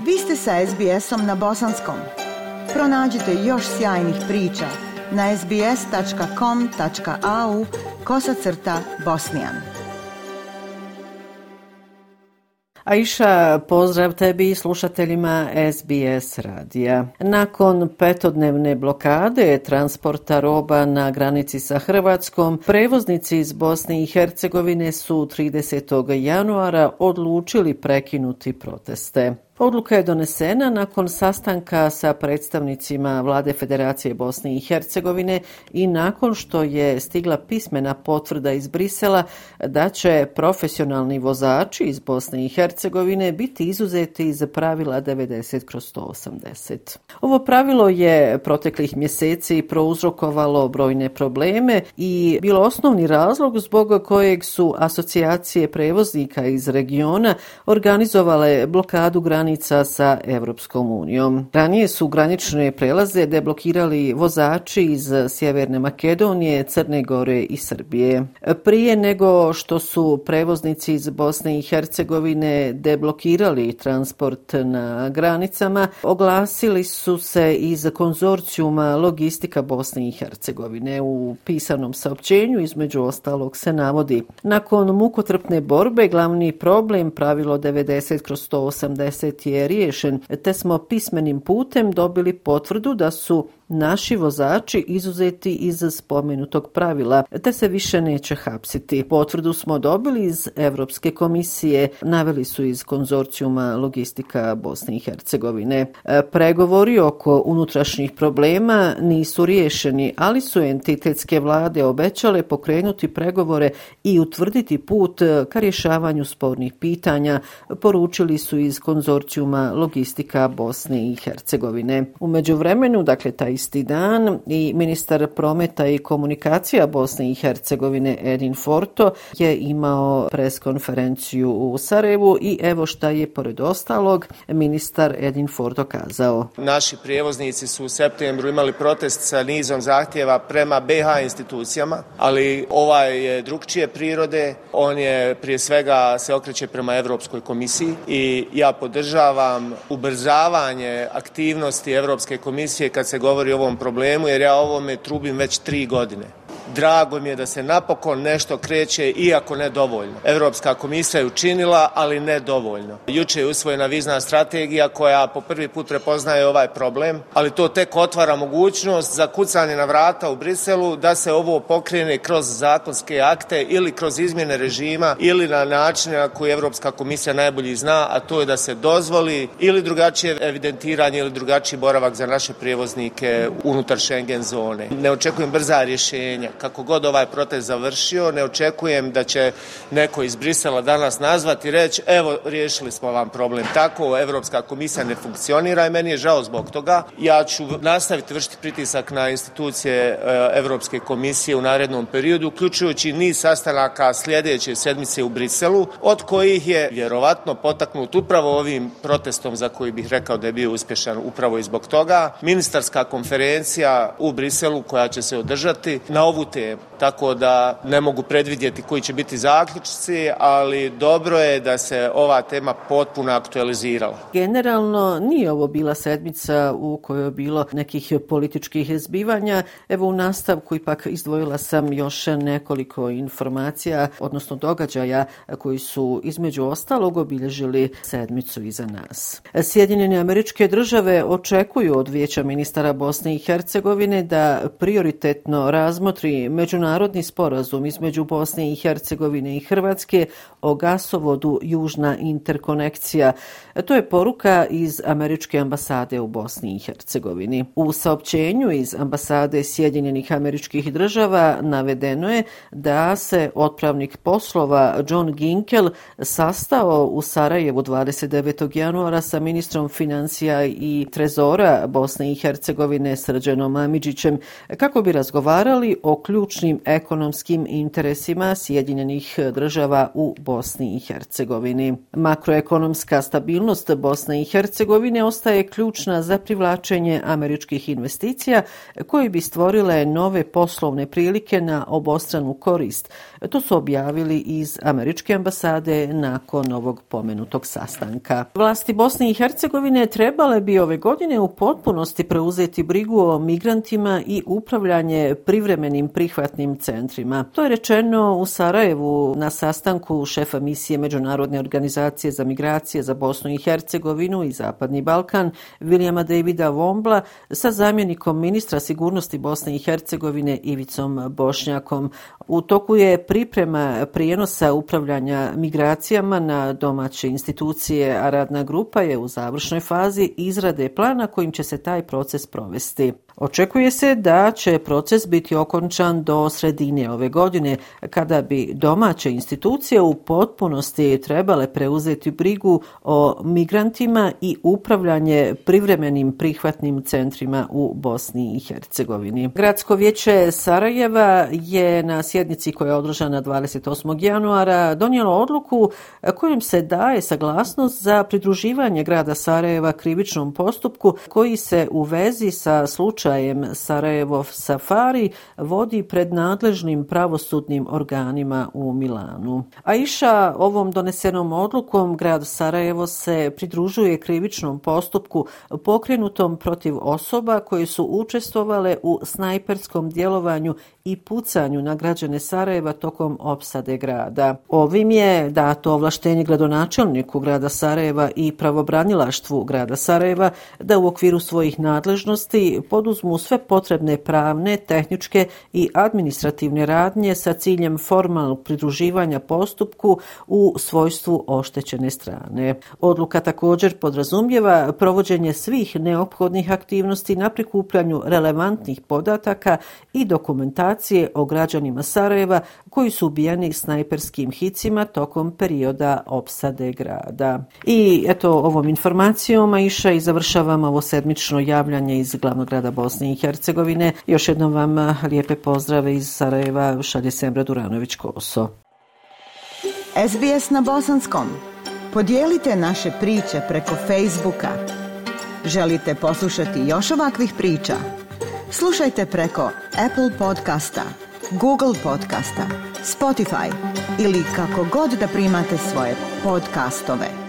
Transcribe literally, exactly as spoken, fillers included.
Vi ste sa es be esom na bosanskom. Pronađite još sjajnih priča na es be es tačka com tačka a u kosacrta bosnijan. Aisha, pozdrav tebi i slušateljima es be es radija. Nakon petodnevne blokade transporta roba na granici sa Hrvatskom, prevoznici iz Bosne i Hercegovine su tridesetog januara odlučili prekinuti proteste. Odluka je donesena nakon sastanka sa predstavnicima Vlade Federacije Bosne i Hercegovine i nakon što je stigla pismena potvrda iz Brisela da će profesionalni vozači iz Bosne i Hercegovine biti izuzeti iz pravila devedeset kroz sto osamdeset. Ovo pravilo je proteklih mjeseci prouzrokovalo brojne probleme i bilo osnovni razlog zbog kojeg su asocijacije prevoznika iz regiona organizovale blokadu granica sa Evropskom unijom. Ranije su granične prelaze deblokirali vozači iz Sjeverne Makedonije, Crne Gore i Srbije. Prije nego što su prevoznici iz Bosne i Hercegovine deblokirali transport na granicama, oglasili su se iz konzorcijuma Logistika Bosne i Hercegovine. U pisanom saopćenju između ostalog se navodi: nakon mukotrpne borbe glavni problem pravilo devedeset kroz sto osamdeset je riješen, te smo pismenim putem dobili potvrdu da su naši vozači izuzeti iz spomenutog pravila, te se više neće hapsiti. Potvrdu smo dobili iz Europske komisije, naveli su iz konzorcijuma Logistika Bosne i Hercegovine. Pregovori oko unutrašnjih problema nisu riješeni, ali su entitetske vlade obećale pokrenuti pregovore i utvrditi put ka rješavanju spornih pitanja, poručili su iz konzorcijuma Logistika Bosne i Hercegovine. U međuvremenu, dakle taj isti dan, i ministar prometa i komunikacija Bosne i Hercegovine Edin Forto je imao pres konferenciju u Sarajevu i evo šta je pored ostalog ministar Edin Forto kazao. Naši prijevoznici su u septembru imali protest sa nizom zahtjeva prema be ha institucijama, ali ovaj je drugčije prirode, on je prije svega se okreće prema Europskoj komisiji i ja podržavam ubrzavanje aktivnosti Europske komisije kad se govori o ovom problemu, jer ja o ovome trubim već tri godine. Drago mi je da se napokon nešto kreće, iako ne dovoljno. Europska komisija je učinila, ali ne dovoljno. Juče je usvojena vizna strategija koja po prvi put prepoznaje ovaj problem, ali to tek otvara mogućnost za kucanje na vrata u Briselu da se ovo pokrene kroz zakonske akte ili kroz izmjene režima ili na način na koji Europska komisija najbolje zna, a to je da se dozvoli ili drugačije evidentiranje ili drugačiji boravak za naše prijevoznike unutar Schengen zone. Ne očekujem brza rješenja. Kako god ovaj protest završio, ne očekujem da će neko iz Brisela danas nazvati i reći evo riješili smo vam problem. Tako Evropska komisija ne funkcionira i meni je žao zbog toga. Ja ću nastaviti vršiti pritisak na institucije Evropske komisije u narednom periodu, uključujući niz sastanaka sljedeće sedmice u Briselu, od kojih je vjerovatno potaknut upravo ovim protestom za koji bih rekao da je bio uspješan upravo i zbog toga. Ministarska konferencija u Briselu koja će se održati na ovu temu. Tako da ne mogu predvidjeti koji će biti zaključci, ali dobro je da se ova tema potpuno aktualizirala. Generalno nije ovo bila sedmica u kojoj je bilo nekih političkih zbivanja. Evo u nastavku ipak izdvojila sam još nekoliko informacija, odnosno događaja koji su između ostalog obilježili sedmicu iza nas. Sjedinjene Američke Države očekuju od Vijeća ministara Bosne i Hercegovine da prioritetno razmotri međunarodni sporazum između Bosne i Hercegovine i Hrvatske o gasovodu Južna interkonekcija. To je poruka iz Američke ambasade u Bosni i Hercegovini. U saopćenju iz ambasade Sjedinjenih Američkih Država navedeno je da se otpravnik poslova John Ginkel sastao u Sarajevu dvadeset devetog januara sa ministrom financija i trezora Bosne i Hercegovine Srđanom Amidžićem kako bi razgovarali o ključnim ekonomskim interesima Sjedinjenih država u Bosni i Hercegovini. Makroekonomska stabilnost Bosne i Hercegovine ostaje ključna za privlačenje američkih investicija koje bi stvorile nove poslovne prilike na obostranu korist. To su objavili iz američke ambasade nakon ovog pomenutog sastanka. Vlasti Bosne i Hercegovine trebale bi ove godine u potpunosti preuzeti brigu o migrantima i upravljanje privremenim prihvatnim centrima. To je rečeno u Sarajevu na sastanku šefa misije Međunarodne organizacije za migracije za Bosnu i Hercegovinu i Zapadni Balkan Vilijama Davida Vombla sa zamjenikom ministra sigurnosti Bosne i Hercegovine Ivicom Bošnjakom. U toku je priprema prijenosa upravljanja migracijama na domaće institucije, a radna grupa je u završnoj fazi izrade plana kojim će se taj proces provesti. Očekuje se da će proces biti okončan do sredine ove godine, kada bi domaće institucije u potpunosti trebale preuzeti brigu o migrantima i upravljanje privremenim prihvatnim centrima u Bosni i Hercegovini. Gradsko vijeće Sarajeva je na sjednici koja je održana dvadeset osmog januara donijelo odluku kojom se daje saglasnost za pridruživanje grada Sarajeva krivičnom postupku koji se u vezi sa slučajem Sarajevov Safari vodi pred nadležnim pravosudnim organima u Milanu. Aisha, ovom donesenom odlukom grad Sarajevo se pridružuje krivičnom postupku pokrenutom protiv osoba koje su učestvovale u snajperskom djelovanju i pucanju na građane Sarajeva tokom opsade grada. Ovim je dato ovlaštenje gradonačelniku grada Sarajeva i pravobranilaštvu grada Sarajeva da u okviru svojih nadležnosti poduzmu sve potrebne pravne, tehničke i administrativne radnje sa ciljem formalnog pridruživanja postupku u svojstvu oštećene strane. Odluka također podrazumijeva provođenje svih neophodnih aktivnosti na prikupljanju relevantnih podataka i dokumentacije o građanima Sarajeva koji su ubijeni snajperskim hicima tokom perioda opsade grada. I eto, ovom informacijom Aisha i završavamo ovo sedmično javljanje iz glavnog grada Bosne i Hercegovine. Još jednom vam lijepe pozdrave iz Sarajeva šalje Semra Duranović-Koso. S B S na bosanskom. Podijelite naše priče preko Facebooka. Želite poslušati još ovakvih priča? Slušajte preko Apple podcasta, Google podcasta, Spotify ili kako god da primate svoje podcastove.